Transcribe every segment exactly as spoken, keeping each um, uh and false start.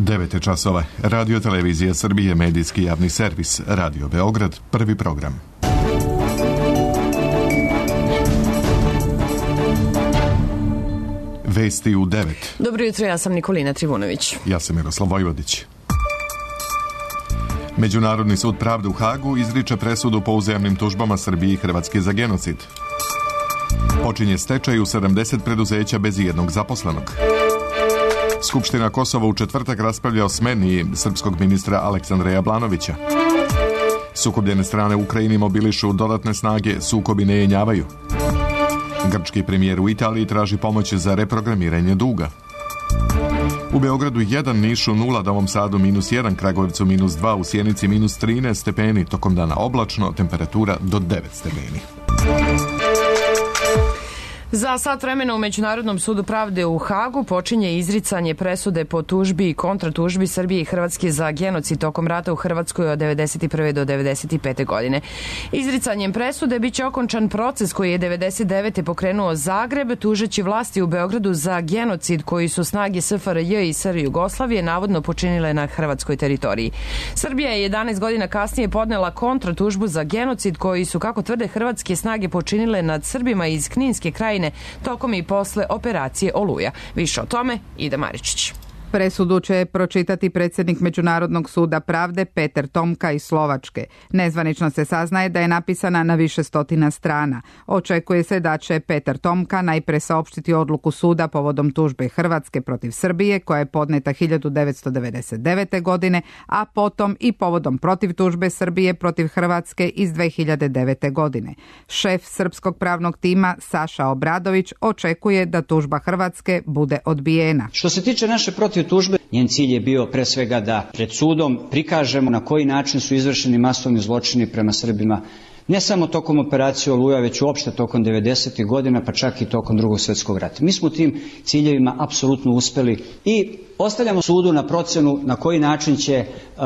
devet je časova. Radio Televizija Srbije, medijski javni servis. Radio Beograd, prvi program. Vesti u devet. Dobro jutro, ja sam Nikolina Trivunović. Ja sam Miroslav Vojvodić. Međunarodni sud pravde u Hagu izriče presudu po uzajamnim tužbama Srbije i Hrvatske za genocid. Počinje stečaj u sedamdeset preduzeća bez jednog zaposlenog. Skupština Kosova u četvrtak raspravlja o smeni srpskog ministra Aleksandra Jablanovića. Sukobljene strane u Ukrajini mobilišu dodatne snage, sukobi ne jenjavaju. Grčki premijer u Italiji traži pomoć za reprogramiranje duga. U Beogradu jedan, Nišu nula, Novom Sadu minus jedan, Kragujevcu minus dva, u Sjenici minus trinaest stepeni, tokom dana oblačno, temperatura do devet stepeni. Za sat vremena u Međunarodnom sudu pravde u Hagu počinje izricanje presude po tužbi i kontratužbi Srbije i Hrvatske za genocid tokom rata u Hrvatskoj od devedeset prve do devedeset pete godine. Izricanjem presude biće okončan proces koji je devedeset devete pokrenuo Zagreb, tužeći vlasti u Beogradu za genocid koji su snage S F R J i S R Jugoslavije navodno počinile na hrvatskoj teritoriji. Srbija je jedanaest godina kasnije podnela kontratužbu za genocid koji su, kako tvrde, hrvatske snage počinile nad Srbima iz Kninske krajine tokom i posle operacije Oluja. Više o tome Ida Maričić. Presudu će pročitati predsjednik Međunarodnog suda pravde Peter Tomka iz Slovačke. Nezvanično se saznaje da je napisana na više stotina strana. Očekuje se da će Peter Tomka najpre saopštiti odluku suda povodom tužbe Hrvatske protiv Srbije, koja je podneta hiljadu devetsto devedeset devete. godine, a potom i povodom protiv tužbe Srbije protiv Hrvatske iz dve hiljade devete. godine. Šef srpskog pravnog tima Saša Obradović očekuje da tužba Hrvatske bude odbijena. Što se tiče naše protiv tužbe, njen cilj je bio pre svega da pred sudom prikažemo na koji način su izvršeni masovni zločini prema Srbima, ne samo tokom operacije Oluja, već uopšte tokom devedesetih godina, pa čak i tokom Drugog svjetskog rata. Mi smo tim ciljevima apsolutno uspeli i ostavljamo sudu na procenu na koji način će uh,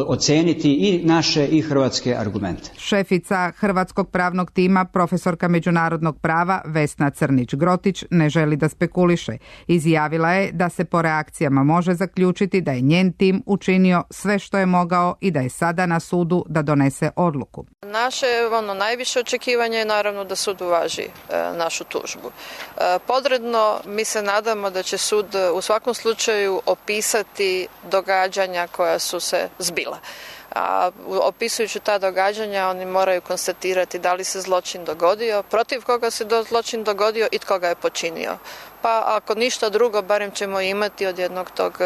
oceniti i naše i hrvatske argumente. Šefica hrvatskog pravnog tima, profesorka međunarodnog prava Vesna Crnić-Grotić, ne želi da spekuliše. Izjavila je da se po reakcijama može zaključiti da je njen tim učinio sve što je mogao i da je sada na sudu da donese odluku. Naše ono, najviše očekivanje je naravno da sud uvaži e, našu tužbu. E, podredno mi se nadamo da će sud u svakom slučaju opisati događanja koja su se zbila. A opisujući ta događanja oni moraju konstatirati da li se zločin dogodio, protiv koga se do zločin dogodio i tko ga je počinio. Pa ako ništa drugo, barem ćemo imati od jednog tog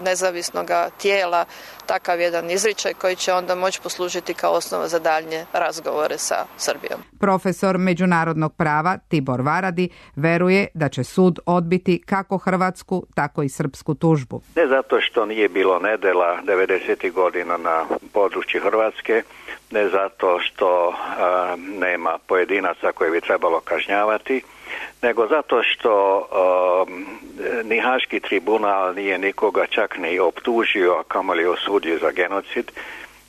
nezavisnog tijela takav jedan izričaj koji će onda moći poslužiti kao osnova za daljnje razgovore sa Srbijom. Profesor međunarodnog prava Tibor Varadi veruje da će sud odbiti kako hrvatsku, tako i srpsku tužbu. Ne zato što nije bilo nedela devedesetih godina na području Hrvatske, ne zato što a, nema pojedinaca koje bi trebalo kažnjavati, nego zato što um, ni Haški tribunal nije nikoga čak ni optužio, a kamoli osudio za genocid.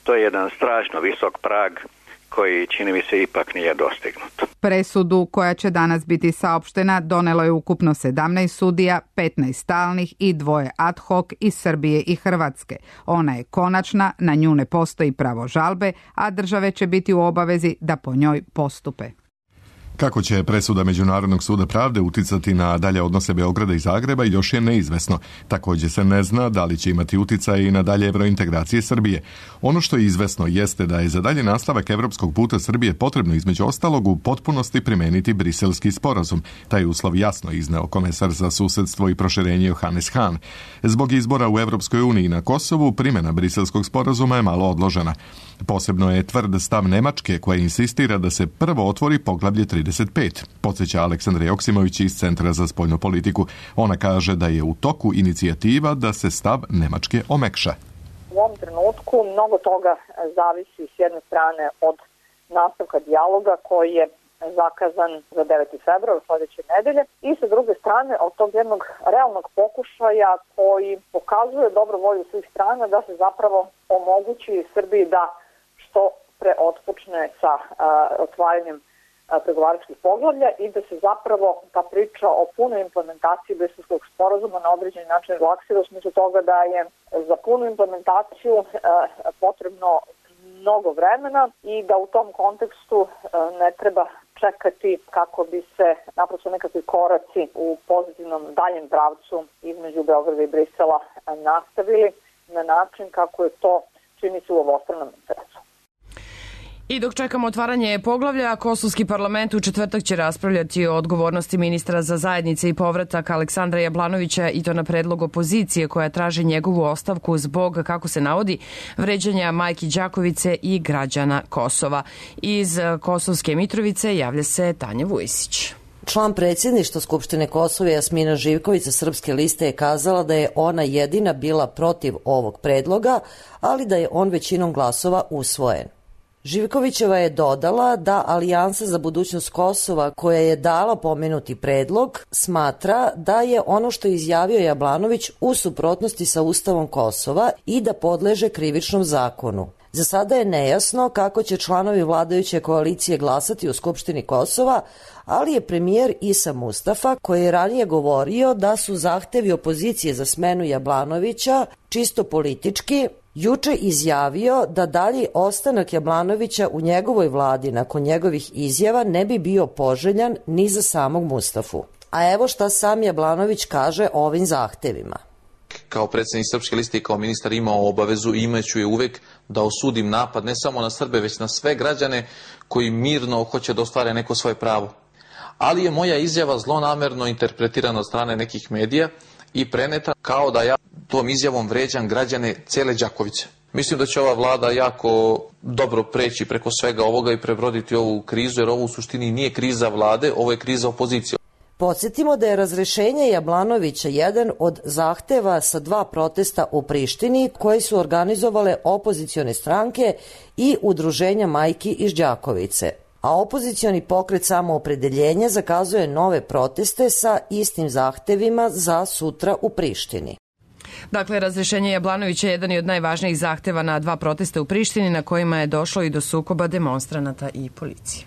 To je jedan strašno visok prag koji, čini mi se, ipak nije dostignut. Presudu koja će danas biti saopštena donelo je ukupno sedamnaest sudija, petnaest stalnih i dvoje ad hoc iz Srbije i Hrvatske. Ona je konačna, na nju ne postoji pravo žalbe, a države će biti u obavezi da po njoj postupe. Kako će presuda Međunarodnog suda pravde uticati na dalje odnose Beograda i Zagreba još je neizvesno. Također se ne zna da li će imati uticaj i na dalje evrointegracije Srbije. Ono što je izvesno jeste da je za dalje nastavak evropskog puta Srbije potrebno između ostalog u potpunosti primeniti Briselski sporazum. Taj uslov jasno izneo komesar za susedstvo i proširenje Johannes Hahn. Zbog izbora u Evropskoj uniji na Kosovu, primjena Briselskog sporazuma je malo odložena. Posebno je tvrd stav Nemačke koja insistira da se prvo otvori poglavlje trideset pet, podsjeća Aleksandra Joksimović iz Centra za spoljnu politiku. Ona kaže da je u toku inicijativa da se stav Nemačke omekša. U ovom trenutku mnogo toga zavisi s jedne strane od nastavka dijaloga koji je zakazan za deveti februar sljedeće nedelje i sa druge strane od tog jednog realnog pokušaja koji pokazuje dobru volju svih strana da se zapravo omogući Srbiji da što pre otpočne sa a, otvaranjem pregovaračkih poglavlja i da se zapravo ta priča o punoj implementaciji Briselskog sporazuma na određeni način relaksira u smislu toga da je za punu implementaciju potrebno mnogo vremena i da u tom kontekstu ne treba čekati kako bi se naprosto nekakvi koraci u pozitivnom daljem pravcu između Beograda i Brisela nastavili na način kako je to čini se u obostranom interesu. I dok čekamo otvaranje poglavlja, Kosovski parlament u četvrtak će raspravljati o odgovornosti ministra za zajednice i povratak Aleksandra Jablanovića i to na predlog opozicije koja traži njegovu ostavku zbog, kako se navodi, vređanja majki Đakovice i građana Kosova. Iz Kosovske Mitrovice javlja se Tanja Vujisić. Član predsjedništva Skupštine Kosova Jasmina Živković sa Srpske liste je kazala da je ona jedina bila protiv ovog predloga, ali da je on većinom glasova usvojen. Živkovićeva je dodala da Alijansa za budućnost Kosova, koja je dala pomenuti predlog, smatra da je ono što je izjavio Jablanović u suprotnosti sa Ustavom Kosova i da podleže krivičnom zakonu. Za sada je nejasno kako će članovi vladajuće koalicije glasati u Skupštini Kosova, ali je premijer Isa Mustafa, koji je ranije govorio da su zahtevi opozicije za smenu Jablanovića čisto politički, juče izjavio da dalji ostanak Jablanovića u njegovoj vladi nakon njegovih izjava ne bi bio poželjan ni za samog Mustafu. A evo šta sam Jablanović kaže o ovim zahtevima. Kao predsjednik Srpske liste i kao ministar imao obavezu i imaću je uvek da osudim napad ne samo na Srbe, već na sve građane koji mirno hoće da ostvare neko svoje pravo. Ali je moja izjava zlonamerno interpretirana od strane nekih medija i preneta kao da ja tom izjavom vređam građane cele Đakovice. Mislim da će ova vlada jako dobro preći preko svega ovoga i prebroditi ovu krizu, jer ovo u suštini nije kriza vlade, ovo je kriza opozicije. Podsjetimo da je razrešenje Jablanovića jedan od zahteva sa dva protesta u Prištini koji su organizovale opozicione stranke i udruženja majki iz Đakovice. A opozicioni pokret Samoopredeljenje zakazuje nove proteste sa istim zahtevima za sutra u Prištini. Dakle, razrešenje Jablanovića je jedan od najvažnijih zahteva na dva protesta u Prištini na kojima je došlo i do sukoba demonstranata i policije.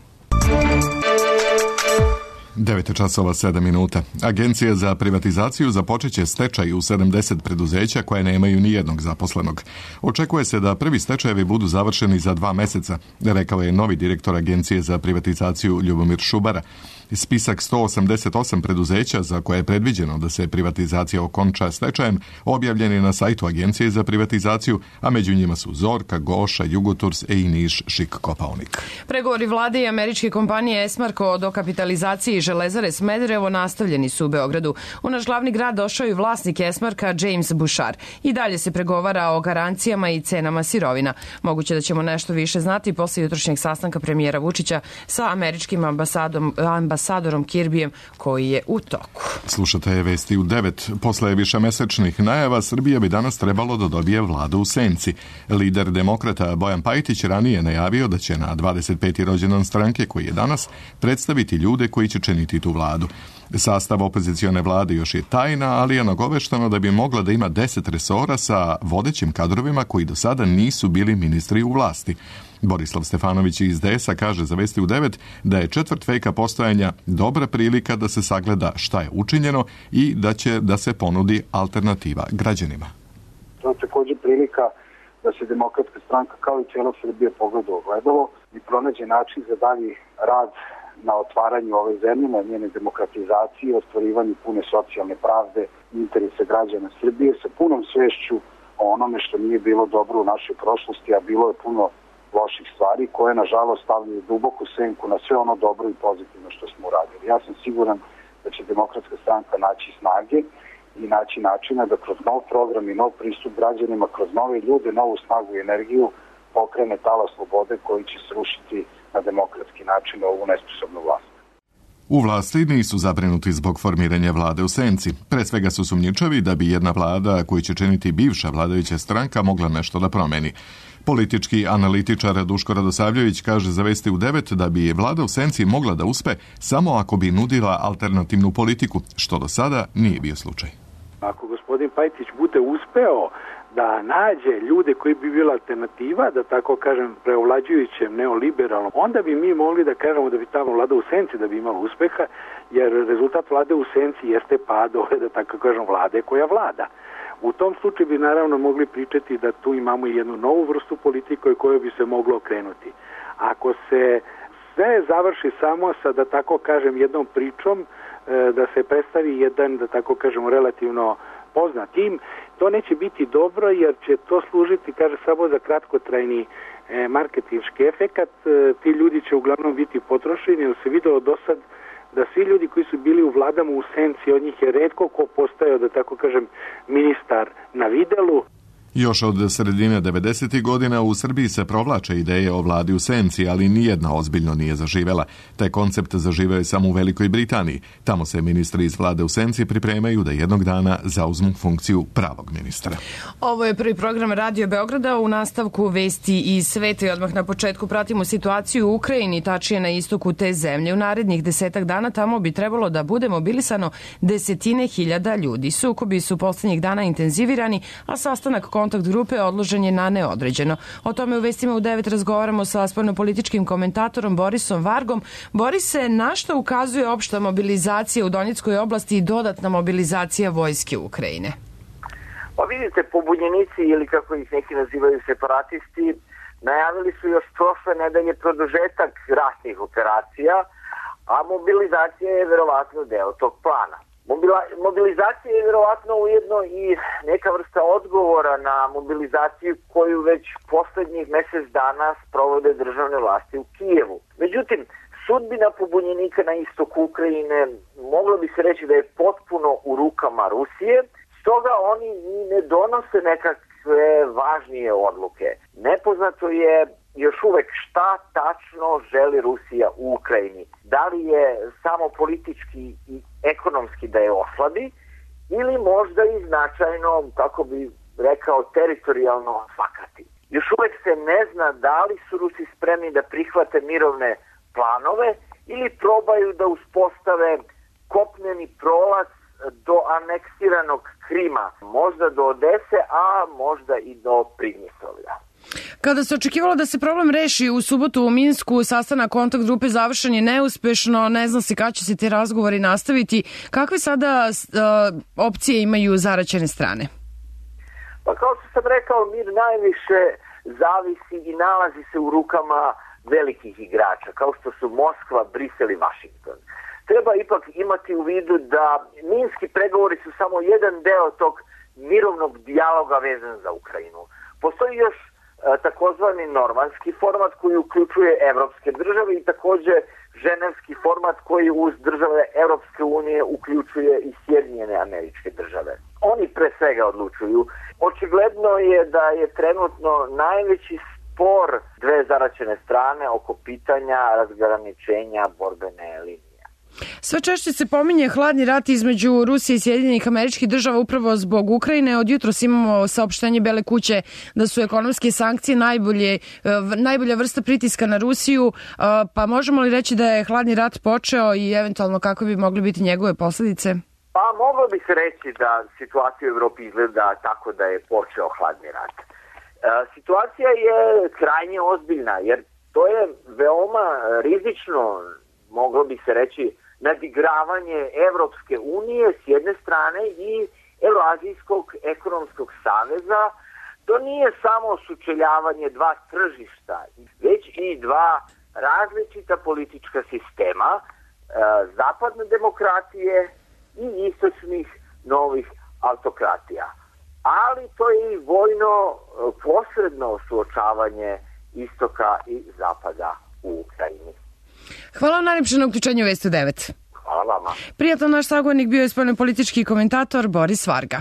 devet časova sedam minuta. Agencija za privatizaciju započeće stečaj u sedamdeset preduzeća koje nemaju ni jednog zaposlenog. Očekuje se da prvi stečajevi budu završeni za dva meseca, rekao je novi direktor Agencije za privatizaciju Ljubomir Šubara. Spisak sto osamdeset osam preduzeća za koje je predviđeno da se privatizacija okonča stečajem objavljen je na sajtu Agencije za privatizaciju, a među njima su Zorka, Goša, Jugoturs, e i Niš, Šik, Kopaonik. Pregovori vlade i američke kompanije Esmarko o dokapitalizaciji Železare Smederevo nastavljeni su u Beogradu. U naš glavni grad došao i vlasnik Esmarka James Bouchard. I dalje se pregovara o garancijama i cenama sirovina. Moguće da ćemo nešto više znati posle jutrošnjeg sastanka premijera Vučića sa američkim ambasadom, ambasadorom Kirbijem koji je u toku. Slušate vesti u devet. Posle višemesečnih najava Srbija bi danas trebalo da dobije vladu u senci. Lider demokrata Bojan Pajtić ranije najavio da će na dvadeset peti rođendan stranke koji je danas predstaviti ljude koji će činiti tu vladu. Sastav opozicione vlade još je tajna, ali je nagovešteno da bi mogla da ima deset resora sa vodećim kadrovima koji do sada nisu bili ministri u vlasti. Borislav Stefanović iz D S A kaže za Vesti u devet da je četvrt veka postojanja dobra prilika da se sagleda šta je učinjeno i da će da se ponudi alternativa građanima. To je također prilika da se Demokratska stranka kao i cijela Srbija pogleda u ogledalo i pronađe način za dalji rad na otvaranju ove zemlje, na njene demokratizacije, ostvarivanju pune socijalne pravde i interese građana Srbije sa punom svešću o onome što nije bilo dobro u našoj prošlosti, a bilo je puno loših stvari koje nažalost stavljaju duboku senku na sve ono dobro i pozitivno što smo uradili. Ja sam siguran da će Demokratska stranka naći snage i naći načina da kroz nov program i nov pristup građanima, kroz nove ljude, novu snagu i energiju pokrene tala slobode koji će srušiti na demokratski način ovu nesposobnu vlast. U vlasti nisu zabrinuti zbog formiranja vlade u senci. Pre svega su sumnjičavi da bi jedna vlada koju će činiti bivša vladajuća stranka mogla nešto da promeni. Politički analitičar Duško Radosavljević kaže za Vesti u devet da bi vlada u senci mogla da uspe samo ako bi nudila alternativnu politiku, što do sada nije bio slučaj. Ako gospodin Pajtić bude uspeo da nađe ljude koji bi bila alternativa, da tako kažem, preovlađujućem neoliberalnom, onda bi mi mogli da kažemo da bi tamo vlada u senci da bi imala uspeha, jer rezultat vlade u senci jeste pad ove, da tako kažem, vlade koja vlada. U tom slučaju bi naravno mogli pričati da tu imamo jednu novu vrstu politike koju bi se moglo okrenuti. Ako se sve završi samo sa, da tako kažem, jednom pričom, da se predstavi jedan, da tako kažemo, relativno poznat tim, to neće biti dobro jer će to služiti, kaže, samo za kratkotrajni e, marketinški efekat. E, ti ljudi će uglavnom biti potrošeni, jer se videlo do sad da svi ljudi koji su bili u vladama u senci, od njih je retko ko postao, da tako kažem, ministar na videlu. Još od sredine devedesetih godina u Srbiji se provlače ideje o vladi u senci, ali nijedna ozbiljno nije zaživela. Taj koncept zaživeo je samo u Velikoj Britaniji. Tamo se ministri iz vlade u senci pripremaju da jednog dana zauzmu funkciju pravog ministra. Ovo je prvi program Radio Beograda, u nastavku vesti iz sveta i odmah na početku pratimo situaciju u Ukrajini, tačnije na istoku te zemlje. U narednih desetak dana tamo bi trebalo da bude mobilisano desetine hiljada ljudi. Sukobi su poslednjih dana intenzivirani, a sastanak kontakt grupe odložen je na neodređeno. O tome u vestima u devet razgovaramo sa spoljnopolitičkim komentatorom Borisom Vargom. Borise, na što ukazuje opšta mobilizacija u Donjeckoj oblasti i dodatna mobilizacija vojske Ukrajine? Pa vidite, pobunjenici ili kako ih neki nazivaju separatisti najavili su još prošle nedelje produžetak ratnih operacija, a mobilizacija je verovatno deo tog plana. Mobilizacija je vjerovatno ujedno i neka vrsta odgovora na mobilizaciju koju već poslednjih mjesec dana sprovode državne vlasti u Kijevu. Međutim, sudbina pobunjenika na istoku Ukrajine moglo bi se reći da je potpuno u rukama Rusije, stoga oni i ne donose nekakve važnije odluke. Nepoznato je još uvek šta tačno želi Rusija u Ukrajini. Da li je samo politički i ekonomski da je oslabi ili možda i značajno, kako bi rekao, teritorijalno osvakati. Još uvek se ne zna da li su Rusi spremni da prihvate mirovne planove ili probaju da uspostave kopneni prolaz do aneksiranog Krima, možda do Odese, a možda i do Pridnjestrovlja. Kada se očekivalo da se problem reši u subotu u Minsku, sastanak kontakt grupe završen je neuspešno, ne zna se kada će se ti razgovori nastaviti. Kakve sada uh, opcije imaju zaraćene strane? Pa kao što sam rekao, mir najviše zavisi i nalazi se u rukama velikih igrača, kao što su Moskva, Brisel i Vašington. Treba ipak imati u vidu da minski pregovori su samo jedan deo tog mirovnog dijaloga vezan za Ukrajinu. Postoji još takozvani normanski format koji uključuje evropske države i također ženevski format koji uz države Evropske unije uključuje i Sjedinjene Američke Države. Oni pre svega odlučuju. Očigledno je da je trenutno najveći spor dve zaraćene strane oko pitanja razgraničenja borbene linije. Sve češće se pominje hladni rat između Rusije i Sjedinjenih Američkih Država upravo zbog Ukrajine. Od jutros imamo saopštenje Bele kuće da su ekonomske sankcije najbolje, najbolja vrsta pritiska na Rusiju, pa možemo li reći da je hladni rat počeo i eventualno kako bi mogli biti njegove posljedice? Pa moglo bi se reći da situacija u Evropi izgleda tako da je počeo hladni rat. Situacija je krajnje ozbiljna jer to je veoma rizično, moglo bi se reći, nadigravanje Evropske unije s jedne strane i Euroazijskog ekonomskog saveza. To nije samo sučeljavanje dva tržišta, već i dva različita politička sistema, e, zapadne demokratije i istočnih novih autokratija. Ali to je i vojno posredno suočavanje istoka i zapada u Ukrajini. Hvala vam najljepše na uključenju Vesti u devet. Hvala vama. Prijatno, naš sagovornik bio je spoljnopolitički komentator Boris Varga.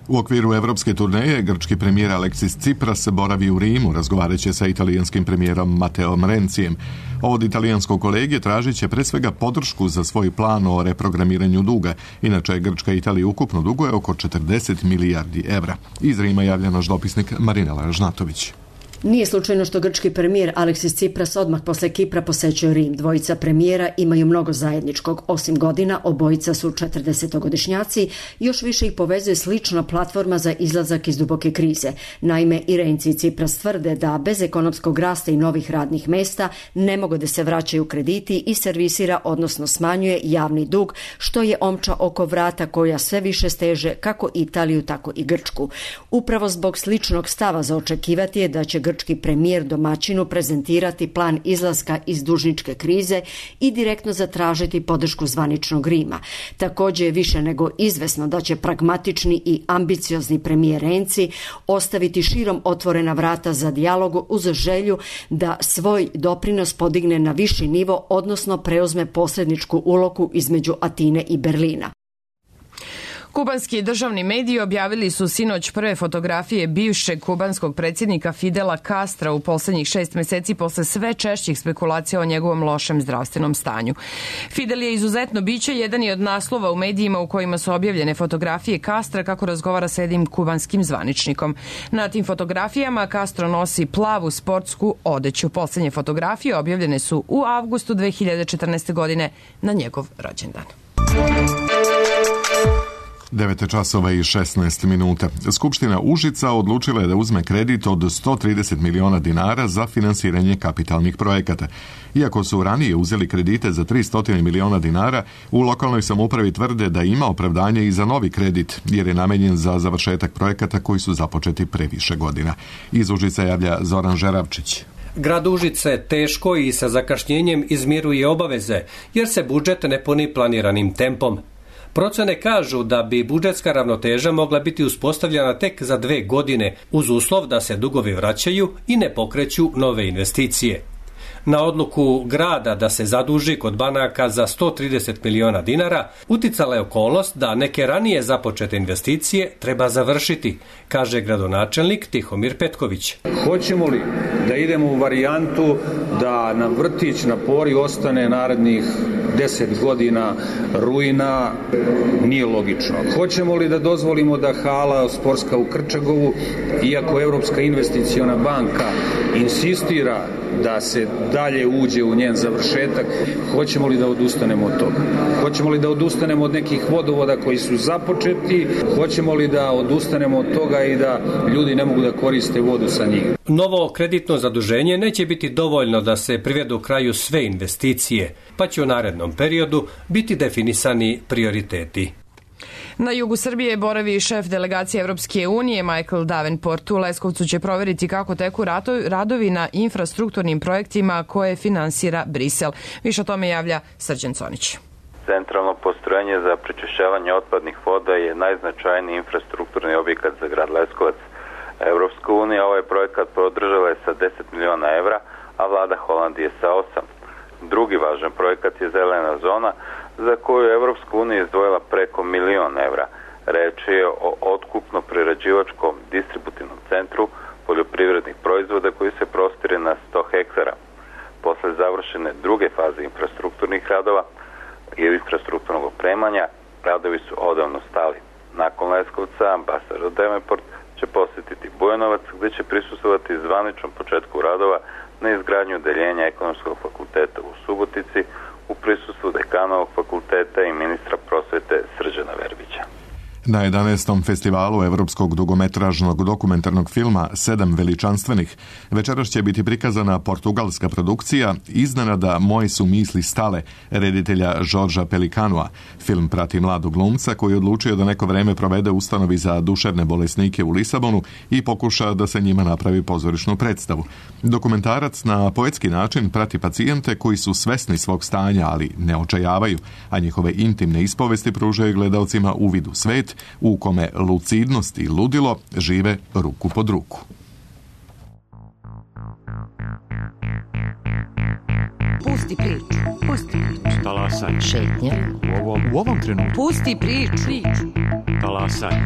U okviru evropske turneje, grčki premijer Aleksis Tsipras boravi u Rimu, razgovarajući sa italijanskim premijerom Mateom Rencijem. Od italijanskog kolege tražit će pre svega podršku za svoj plan o reprogramiranju duga. Inače, Grčka i Italija ukupno duguje oko četrdeset milijardi evra. Iz Rima javlja naš dopisnik Marinela Žnatović. Nije slučajno što grčki premijer Aleksis Tsipras odmah posle Kipra posećuje Rim. Dvojica premijera imaju mnogo zajedničkog. Osim godina, obojica su četrdesetogodišnjaci, još više ih povezuje slična platforma za izlazak iz duboke krize. Naime, i Renzi i Tsipras tvrde da bez ekonomskog rasta i novih radnih mesta ne mogu da se vraćaju krediti i servisira, odnosno smanjuje javni dug, što je omča oko vrata koja sve više steže kako Italiju, tako i Grčku. Upravo zbog sličnog stava za očekivati je da će grčki premijer domaćinu prezentirati plan izlaska iz dužničke krize i direktno zatražiti podršku zvaničnog Rima. Također je više nego izvesno da će pragmatični i ambiciozni premijer Renzi ostaviti širom otvorena vrata za dijalog uz želju da svoj doprinos podigne na viši nivo, odnosno preuzme posredničku ulogu između Atine i Berlina. Kubanski državni mediji objavili su sinoć prve fotografije bivšeg kubanskog predsjednika Fidela Castra u posljednjih šest meseci posle sve češćih spekulacija o njegovom lošem zdravstvenom stanju. Fidel je izuzetno biće, jedan je od naslova u medijima u kojima su objavljene fotografije Castra kako razgovara sa jednim kubanskim zvaničnikom. Na tim fotografijama Castro nosi plavu sportsku odeću. Posljednje fotografije objavljene su u avgustu dve hiljade četrnaeste. godine na njegov rođendan. devet časova i šesnaest minuta. Skupština Užica odlučila je da uzme kredit od sto trideset miliona dinara za finansiranje kapitalnih projekata. Iako su ranije uzeli kredite za tristo miliona dinara, u lokalnoj samoupravi tvrde da ima opravdanje i za novi kredit, jer je namenjen za završetak projekata koji su započeti pre više godina. Iz Užica javlja Zoran Žeravčić. Grad Užice teško i sa zakašnjenjem izmiruje obaveze, jer se budžet ne puni planiranim tempom. Procene kažu da bi budžetska ravnoteža mogla biti uspostavljena tek za dve godine, uz uslov da se dugovi vraćaju i ne pokreću nove investicije. Na odluku grada da se zaduži kod banaka za sto trideset miliona dinara uticala je okolnost da neke ranije započete investicije treba završiti, kaže gradonačelnik Tihomir Petković. Hoćemo li da idemo u varijantu da nam vrtić na Pori ostane narednih deset godina ruina, nije logično. Hoćemo li da dozvolimo da hala sportska u Krčagovu, iako Evropska investiciona banka insistira da se dalje uđe u njen završetak, hoćemo li da odustanemo od toga? Hoćemo li da odustanemo od nekih vodovoda koji su započeti? Hoćemo li da odustanemo od toga i da ljudi ne mogu da koriste vodu sa njih? Novo kreditno zaduženje neće biti dovoljno da se privedu kraju sve investicije, pa će u narednom periodu biti definisani prioriteti. Na jugu Srbije boravi šef delegacije Evropske unije Michael Davenport. U Leskovcu će proveriti kako teku radovi na infrastrukturnim projektima koje finansira Brisel. Više o tome javlja Srđan Conić. Centralno postrojenje za prečišćavanje otpadnih voda je najznačajniji infrastrukturni objekat za grad Leskovac. Evropska unija ovaj projekat podržala je sa deset miliona evra, a vlada Holandije sa osam. Drugi važan projekat je zelena zona, za koju je Evropska unija izdvojila preko milion evra. Reč je o otkupno-prerađivačkom distributivnom centru poljoprivrednih proizvoda koji se prostire na sto hektara. Posle završene druge faze infrastrukturnih radova i infrastrukturnog opremanja, radovi su odavno stali. Nakon Leskovca, ambasador Davenport će posjetiti Bujanovac, gdje će prisustvovati zvaničnom početku radova na izgradnju odeljenja Ekonomskog fakulteta u Subotici u prisustvu dekanovog fakulteta i ministra prosvete Srđana Verbića. Na jedanaestom festivalu evropskog dugometražnog dokumentarnog filma Sedam veličanstvenih večeras će biti prikazana portugalska produkcija Iznenada moje su misli stale reditelja Žorža Pelikanua. Film prati mladog glumca koji je odlučio da neko vreme provede u ustanovi za duševne bolesnike u Lisabonu i pokuša da se njima napravi pozorišnu predstavu. Dokumentarac na poetski način prati pacijente koji su svesni svog stanja, ali ne očajavaju, a njihove intimne ispovesti pružaju gledalcima uvid u svet u kome lucidnost i ludilo žive ruku pod ruku. Pusti priču, pusti priču. Talasaj. Šetnje. U ovom, u ovom trenutku. Pusti priču. Talasaj.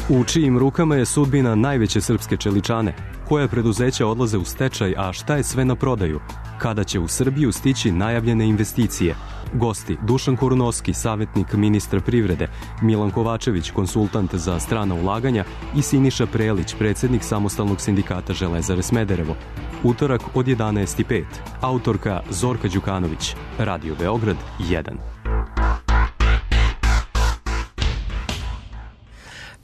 U čijim rukama je sudbina najveće srpske čeličane? Koje preduzeća odlaze u stečaj, a šta je sve na prodaju? Kada će u Srbiju stići najavljene investicije? Gosti Dušan Korunovski, savjetnik ministra privrede, Milan Kovačević, konsultant za strana ulaganja i Siniša Prelić, predsjednik Samostalnog sindikata Železare Smederevo. Utorak od jedanaest i pet. Autorka Zorka Đukanović. Radio Beograd jedan.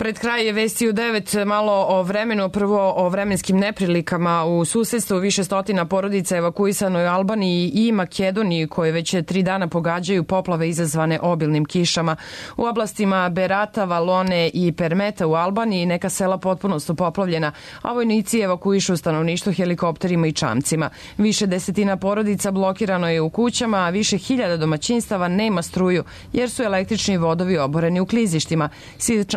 Pred kraj je vesti u devet, malo o vremenu, prvo o vremenskim neprilikama. U susedstvu više stotina porodica evakuisano je u Albaniji i Makedoniji, koje već tri dana pogađaju poplave izazvane obilnim kišama. U oblastima Berata, Valone i Permeta u Albaniji neka sela potpuno su poplavljena, a vojnici evakuišu stanovništvo helikopterima i čamcima. Više desetina porodica blokirano je u kućama, a više hiljada domaćinstava nema struju, jer su električni vodovi oboreni u klizištima.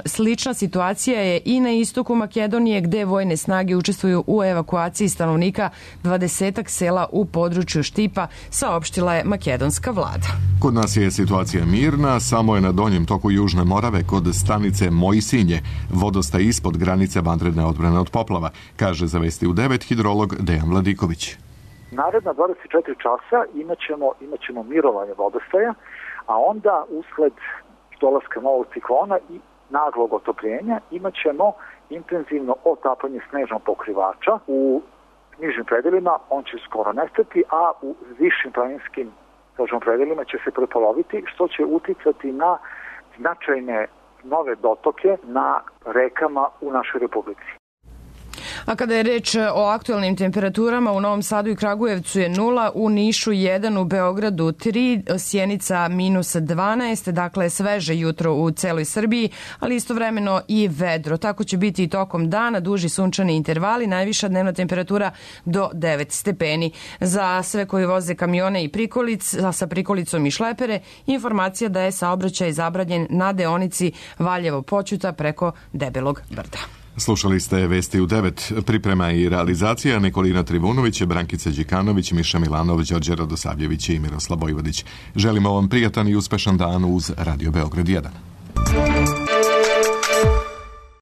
Slična situacija je i na istoku Makedonije, gde vojne snage učestvuju u evakuaciji stanovnika dvadesetak sela u području Štipa, saopštila je makedonska vlada. Kod nas je situacija mirna, samo je na donjem toku Južne Morave kod stanice Mojsinje vodostaj ispod granice vanredne odbrane od poplava, kaže za vesti u devet hidrolog Dejan Vladiković. Naredna dvadeset četiri časa imaćemo, imaćemo mirovanje vodostaja, a onda usled dolaska novog ciklona i naglog otopljenja imat ćemo intenzivno otapanje snežnog pokrivača. U nižim predelima on će skoro nestati, a u višim planinskim predelima će se prepoloviti, što će uticati na značajne nove dotoke na rekama u našoj republici. A kada je reč o aktualnim temperaturama, u Novom Sadu i Kragujevcu je nula, u Nišu jedan, u Beogradu tri, Sjenica minus dvanaest, dakle sveže jutro u celoj Srbiji, ali istovremeno i vedro. Tako će biti i tokom dana, duži sunčani intervali, najviša dnevna temperatura do devet stepeni. Za sve koji voze kamione i prikolic, sa prikolicom i šlepere, informacija da je saobraćaj zabranjen na deonici Valjevo-Poćuta preko Debelog brda. Slušali ste vesti u devet, priprema i realizacija Nikolina Trivunović, Brankica Đikanović, Miša Milanov, Đorđe Radosavljević i Miroslav Vojvodić. Želimo vam prijatan i uspešan dan uz Radio Beograd jedan.